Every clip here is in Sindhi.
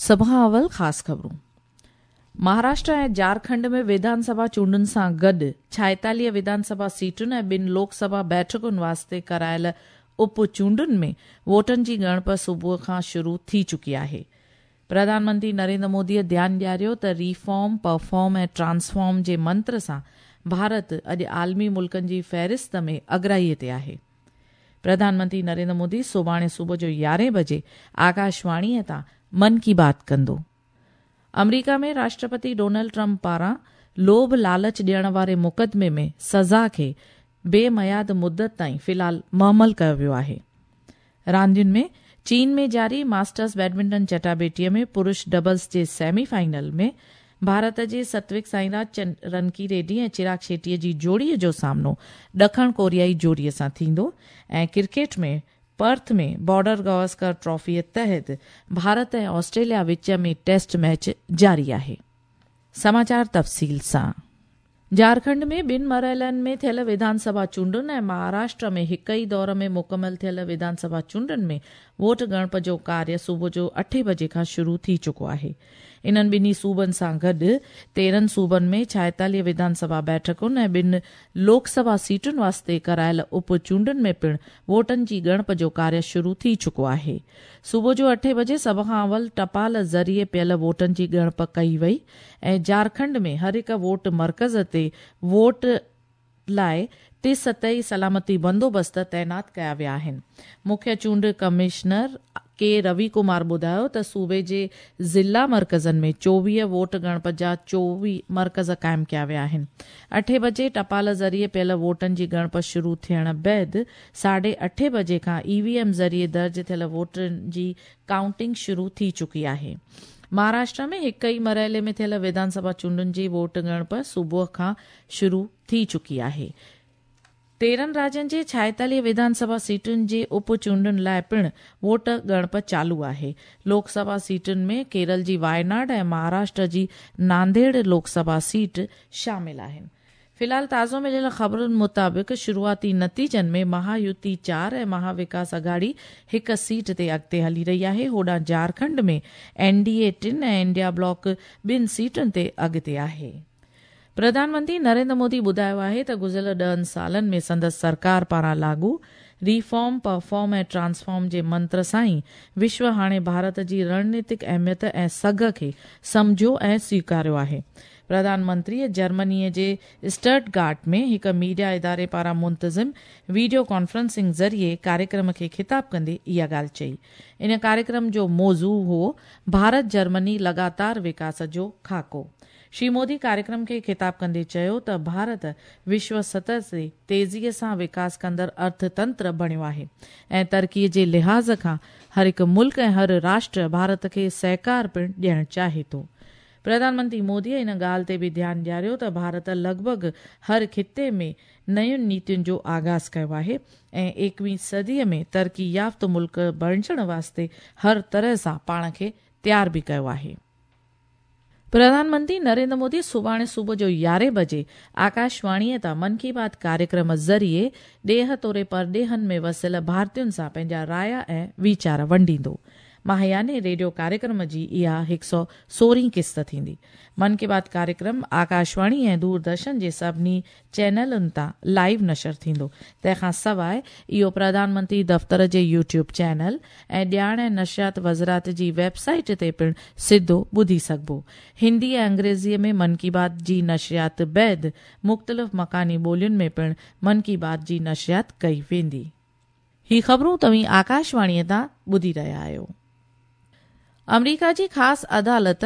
سڀ کان اول خاص خبرون. مهاراشٽر ۽ جهارکنڊ ۾ وڌان سڀا چونڊن سان گڏ 46 وڌان سڀا سيٽن ۽ ٻن لوڪ سڀا بيٺڪن واسطي ڪرايل اپ چونڊن ۾ ووٽن جي ڳڻپ صبح کان شروع ٿي چڪي آهي. پرڌان منتري نريندر موديء ڌيان ڏياريو ته ريفارم، پرفارم ۽ ٽرانسفارم جي منتر سان ڀارت اڄ عالمي ملڪن جي فهرست ۾ اڳرائي تي آهي. پرڌان منتري نريندر مودي سڀاڻي صبح جو يارهين بجي آڪاشواڻيء تان من ڪي بات ڪندو. آمريڪا ۾ راشٽرپتي ڊونلڊ ٽرمپ پاران لوڀ لالچ ڏيڻ واري مقدمي ۾ سزا کي بي ميعاد مدت تائين في الحال معمل ڪيو ويو آهي. راندين ۾ چين ۾ جاري ماسٽرز بيڊمنٽن چٽاڀيٽيء ۾ پرش ڊبلز جي سيمي فائنل ۾ ڀارت جي ستوڪ سائيراج رنڪي ريڊي ۽ چراگ شيٽي جي جوڙي جو سامنو ڏکڻ ڪوريائي جوڙي سان ٿيندو ۽ ڪرڪيٽ ۾ پرٿ ۾ بارڊر گواسڪر ٽرافيء تحت ڀارت ۽ آسٽريليا وچ ۾ ٽيسٽ ميچ جاري آهي. سماچار تفصيل سان. جهارکنڊ ۾ ٻن مرحلن ۾ ٿيل وڌان سڀا چونڊن ۽ مهاراشٽر ۾ هڪ ئي دور ۾ مڪمل ٿيل وڌان سڀا چونڊن ۾ ووٽ ڳڻپ جو ڪاريه صبح جو اٺين بجي کان شروع ٿي چڪو آهي. انهن ٻنهي صوبن سان گڏ 13 صوبن ۾ 46 وڌان سڀا بيٺڪن ۽ ٻن لوڪ سڀا سيٽن واسطي ڪرايل اپ چونڊن ۾ پڻ ووٽن جي ڳڻپ جو ڪاريه شروع ٿي چڪو آهي. صبح جو اٺين بجي سڀ کان اول ٽپال ذريعي پيل ووٽن جي ڳڻپ ڪئي وئي ۽ جهارکنڊ ۾ هر هڪ ووٽ مرڪز تي ووٽ لاء ٽي سطحي سلامتي بندوبست تعينات ڪيا ويا آهن. مکيه چونڊ ڪمشنر ڪي روي ڪمار ٻڌايو ته صوبي جي ضلع مرڪزن ۾ 24 ووٽ ڳڻپ جا 24 مرڪز قائم ڪيا ويا آهن. اٺين بجي ٽپال ذريعي پيل ووٽن جي ڳڻپ شروع ٿيڻ بعد ساڍي اٺين بجي کان اي وي ايم ذريعي درج ٿيل ووٽن جي ڪائونٽنگ شروع ٿي چڪي آهي. مهاراشٽر ۾ هڪ ئي مرحلي ۾ ٿيل وڌان سڀا چونڊن جي ووٽ ڳڻپ صبح کان شروع ٿي چڪي آهي. 13 راجين جي 46 وڌان سڀا سيٽن جي اپ چونڊن لاء پڻ ووٽ ڳڻپ چالو آهي. لوڪ سڀا سيٽن ۾ ڪيرل جي وايناڊ ۽ مهاراشٽر جي نانديڙ لوڪ سڀا سيٽ شامل آهن. في الحال تازو مليل خبرن مطابق شروعاتي نتيجن ۾ مها يوتي چار ۽ مها وڪاس اگهاڙي هڪ سيٽ تي اڳتي هلي رهي آهي. هوڏانهن جهارکنڊ ۾ اين ڊي اي ٽن ۽ انڊيا بلاڪ ٻن سيٽن تي اڳتي آهي. پرڌان منتري نريندر مودي ٻڌايو آهي ته گذريل ڏهن سالن ۾ سندس سرڪار پاران لاڳو ريفارم، پرفارم ۽ ٽرانسفارم جي منتر سان ئي وشو هاڻي ڀارت جي رڻنيتڪ اهميت ۽ سگهه کي سمجهيو ۽ سويڪاريو آهي. پرڌان منتريء جرمنيء جي اسٽرٽ گارٽ ۾ هڪ ميڊيا اداري پاران منتظم ويڊيو ڪانفرنسنگ ذريعي ڪاريڪرم کي خطاب ڪندي اها ڳالهه چئي. ان ڪاريڪرم جو موضوع هو ڀارت جرمني لڳاتار وڪاس جو خاڪو. شري مودي ڪاريڪرم کي خطاب ڪندي چيو ته ڀارت وشو سطح تي تيزيء سان وڪاس ڪندڙ ارٿ تنتر بڻيو آهي ۽ ترقيء جي لحاظ کان هر هڪ ملڪ ۽ هر راشٽر ڀارت کي سهڪار پڻ ڏيڻ چاهي ٿو. پرڌان منتري موديء ان ڳالهه تي به ڌيان ڏياريو ته ڀارت لڳ ڀڳ هر خطي ۾ نين نيتين جو آغاز ڪيو آهي ۽ ايڪويهين صديء ۾ ترقي يافته ملڪ بڻجڻ واسطي هر طرح سان پاڻ کي تيار به ڪيو آهي. پرڌان منتري نريندر مودي سڀاڻي صبح جو يارهين بجي آڪاشواڻيء تان من ڪي بات ڪاريڪرم ذريعي ڏيهه توڙي پرڏيهن ۾ وسيل ڀارتين سان پنهنجا رايا ۽ ويچار ونڊيندو. ماهياني ريڊيو ڪاريڪرم جي اها هڪ سئو سورهين قسط ٿيندي. من ڪي بات ڪاريڪرم آڪاشواڻي ۽ دوردرشن جي سڀني چينلن تان لائيو نشر ٿيندو. تنهن کان سواء اهو پرڌان منتري دفتر جي يوٽيوب چينل ۽ ڄاڻ ۽ نشريات وزارت جي ويب سائيٽ تي پڻ سڌو ٻڌي سگهبو. هندي ۽ انگريزيء ۾ من ڪي بات جي نشريات بعد مختلف مڪاني ٻولين ۾ پڻ من ڪي بات جي نشريات ڪئي ويندي. هي خبرون توهين آڪاشواڻيء تان ٻڌي رهيا آهيو. آمريڪا جي خاص عدالت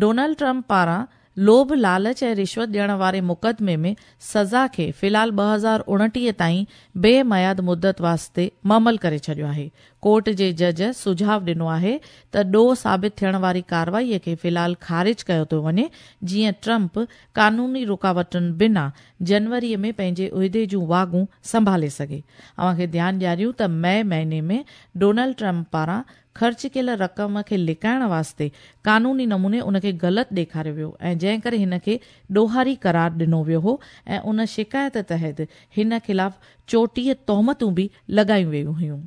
ڊونلڊ ٽرمپ پاران لوڀ لالچ ۽ رشوت ڏيڻ واري مقدمي ۾ سزا کي في الحال 2029 تائين بي ميعاد مدت واسطي معمل ڪري ڇڏيو آهي. ڪورٽ جي جج سجهاء ڏنو آهي ته ڏوهه ثابت ٿيڻ واري ڪارروائي کي في الحال خارج ڪيو ٿو وڃي جيئن ٽرمپ قانوني رڪاوٽن بنا جنوري ۾ پنهنجي عهدي جون واڳون سنڀالي سگهي. اوهان کي ڌيان ڏياريون ته مئي مهيني ۾ ڊونلڊ ٽرمپ پاران خرچ ڪيل رقم کي لڪائڻ واسطي قانوني نموني ان کي غلط ڏيکاريو ويو ۽ جنهن ڪري هن کي ڏوهاري قرار ڏنو ويو هو ۽ ان شڪايت تحت هن خلاف 34 تهمتون به لڳايون ويون هيون.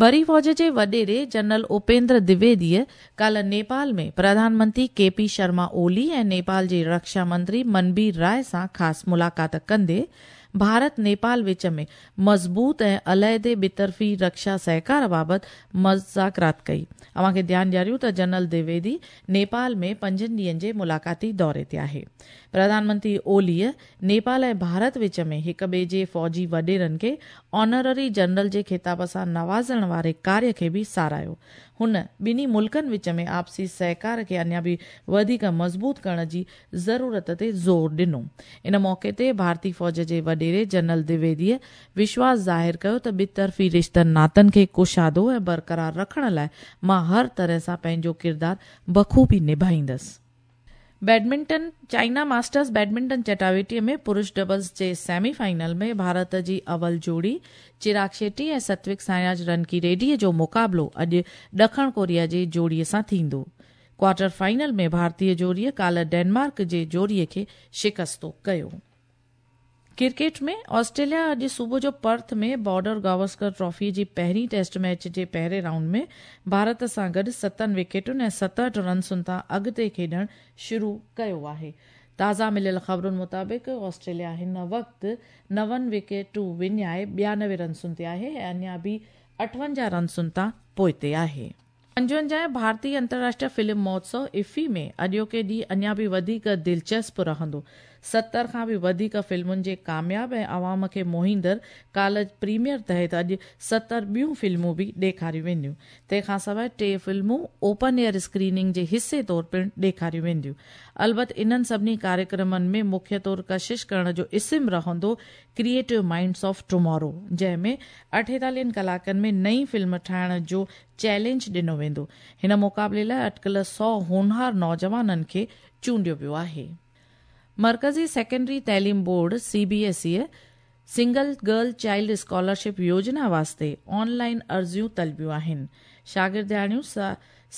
بري فوج جي وڏيري جنرل اپيندر دويديء ڪالهه نيپال ۾ پرڌان منتري ڪي پي شرما اولي ۽ نيپال جي رڪشا منتري منبير راء سان خاص ملاقات ڪندي ڀارت نيپال وچ ۾ مضبوط ۽ عليحدي ٻطرفي رڪشا سهڪار بابت مذاڪرات ڪئي. اوهان کي ڌيان ڏياريون ته جنرل دويدي نيپال ۾ پنجن ڏينهن جي ملاقاتي دوري تي آهي. پرڌان منتري اوليء نيپال ۽ ڀارت وچ ۾ هڪ ٻئي جي فوجي وڏيرن کي آنرري جنرل جي خطاب سان نوازڻ واري ڪاريه کي به ساراهيو. هن ٻنهي ملڪن وچ ۾ آپسي سهڪار کي اڃا به وڌيڪ مضبوط ڪرڻ جي ضرورت تي زور ڏنو. ان موقعي تي ڀارتي فوج جي وڏيري جنرل دويديء وشواس ظاهر ڪيو ته ٻطرفي رشتن ناتن کي ڪشادو ۽ برقرار رکڻ لاء مان هر طرح سان پنهنجو ڪردار بخوبي نڀائيندس. بيڊمنٽن، چائنا ماسٽرز بيڊمنٽن چٽاڀيٽي ۾ پرش ڊبلز جي سيمي فائنل ۾ ڀارت جي اول جوڙي چراگ شيٽي ۽ ستوڪ سائراج رنڪي ريڊي جو مقابلو اڄ ڏکڻ ڪوريا جي جوڙي سان ٿيندو. ڪوارٽر فائنل ۾ ڀارتي جوڙي ڪالهه ڊينمارڪ جي جوڙي کي شڪستو ڪيو. ڪرڪيٽ ۾، آسٽريليا اڄ صبح جو پرٿ ۾ بارڊر گاوسڪر ٽرافي جي پهرين ٽيسٽ ميچ جي پهرين رائونڊ ۾ ڀارت سان گڏ ستن وڪيٽن ۽ 67 رنسن تان اڳتي کيڏڻ شروع ڪيو آهي. تازا مليل خبرن مطابق آسٽريليا هن وقت نون وڪيٽون وڃائي 92 رنسن تي آهي ۽ اڃا به 58 رنسن تان پوئتي آهي. 55 ڀارتي انترراشٽريه فلم مهوتسو، افي، ۾ اڄوڪي ڏينهن اڃا به وڌيڪ دلچسپ رهندو. 70 کان به وڌيڪ فلمن جي ڪامياب ۽ عوام کي موهيندڙ ڪالهه پريميئر تحت اڄ 70 ٻيون فلمون به ڏيکاريون وينديون. تنهن کانسواء ٽي فلمون اوپن ايئر اسڪريننگ جي حصي طور پڻ ڏيکاريون وينديون. البت انهن سڀني ڪاريڪرمن ۾ مکيه طور ڪشش ڪرڻ جو اسم رهندو ڪريئيٽو مائنڊس آف ٽومارو جنهن ۾ اٺيتاليهن ڪلاڪن ۾ نئين فلم ٺاهڻ جو چئلينج ڏنو ويندو. هن مقابلي لاء اٽڪل 100 هونهار نوجوانن کي چونڊيو ويو آهي. مرڪزي سيڪنڊري تعليم board, C B S E, single girl child scholarship يوجنا واسطي آن لائين عرضيون طلبيون آهن. شاگردياڻيون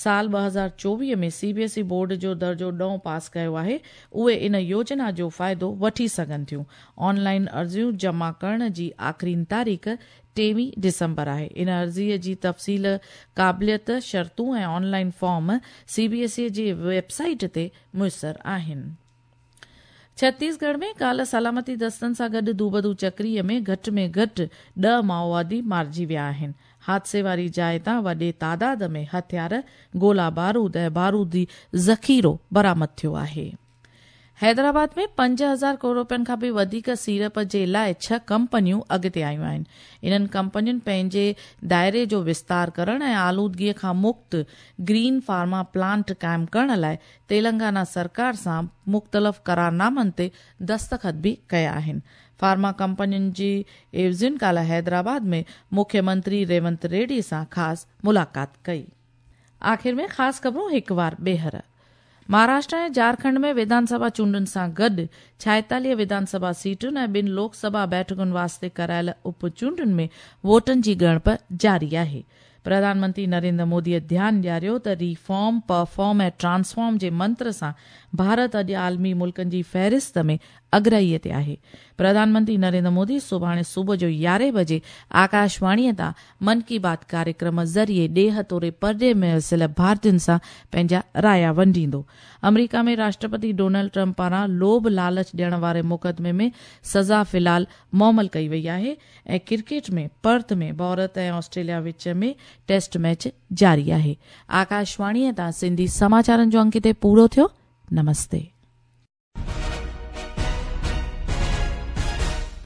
سال 2024 ۾ C B S E board جو درجو ڏهون پاس ڪيو آهي، اهي ان يوجنا جو فائدو وٺي سگهن ٿيون. آن لائين عرضيون جمع ڪرڻ جي آخرين تاريخ 23 ڊسمبر آهي. ان عرضي جي تفصيل، قابليت، شرطون ۽ online form C B S E جي ويب سائيٽ تي ميسر آهن. ڇتيسڳڙهه ۾ ڪالهه سلامتي دستن سان گڏ دوبدو چڪري ۾ گهٽ ۾ گهٽ 10 مائووادي مارجي ويا آهن. حادثي واري جاء تان وڏي تعداد ۾ هٿيار، گولا بارود ۽ بارودي ذخيرو برآمد ٿيو آهي. حيدرآباد ۾ 5000 ڪروڙ رپين کان به وڌيڪ سيڙپ جي لاء ڇهه ڪمپنيون اڳتي آيون آهن. انهن ڪمپنين پنهنجي دائري جو وستار ڪرڻ ۽ آلودگي کان مڪت گرين فارما پلانٽ قائم ڪرڻ لاء تيلنگانا سرڪار سان مختلف قرارنامن تي دستخط به ڪيا آهن. فارما ڪمپنين جي عيوضين ڪالهه حيدرآباد ۾ مکيه منتري ريونت ريڊي سان خاص ملاقات ڪئي. آخر ۾ خاص خبرون هڪ وار ٻيهر. مهاراشٽر ۽ جهارکنڊ ۾ وڌان سڀا چونڊن سان گڏ 46 وڌان سڀا سيٽن ۽ ٻن لوڪ سڀا بيٺڪن واسطي ڪرايل اپ چونڊن ۾ ووٽن جي ڳڻپ جاري آهي. پرڌان منتري نريندر موديء ڌيان ڏياريو ته ريفارم، پرفارم ۽ ٽرانسفارم جي منتر سان ڀارت اڄ عالمي ملڪن جي فهرست ۾ اڳرائيء تي آهي. پرڌان منتري نريندر مودي سڀاڻي صبح جو يارهين بجي آڪاشواڻيء تان من ڪي بات ڪاريڪرم ذريعي ڏيهه توڙي پرڏيهه ۾ وسيل ڀارتين سان پنهنجا رايا ونڊيندو. آمريڪا ۾ راشٽرپتي ڊونلڊ ٽرمپ پاران لوڀ لالچ ڏيڻ واري مقدمي ۾ سزا في الحال معمل ڪئي وئي آهي ۽ ڪرڪيٽ ۾ پرٿ ۾ ڀارت ۽ آسٽريليا وچ ۾ ٽيسٽ ميچ جاري آهي. آڪاشواڻيء تان سنڌي سماچارن جو انگ هتي پورو ٿيو. نمستي.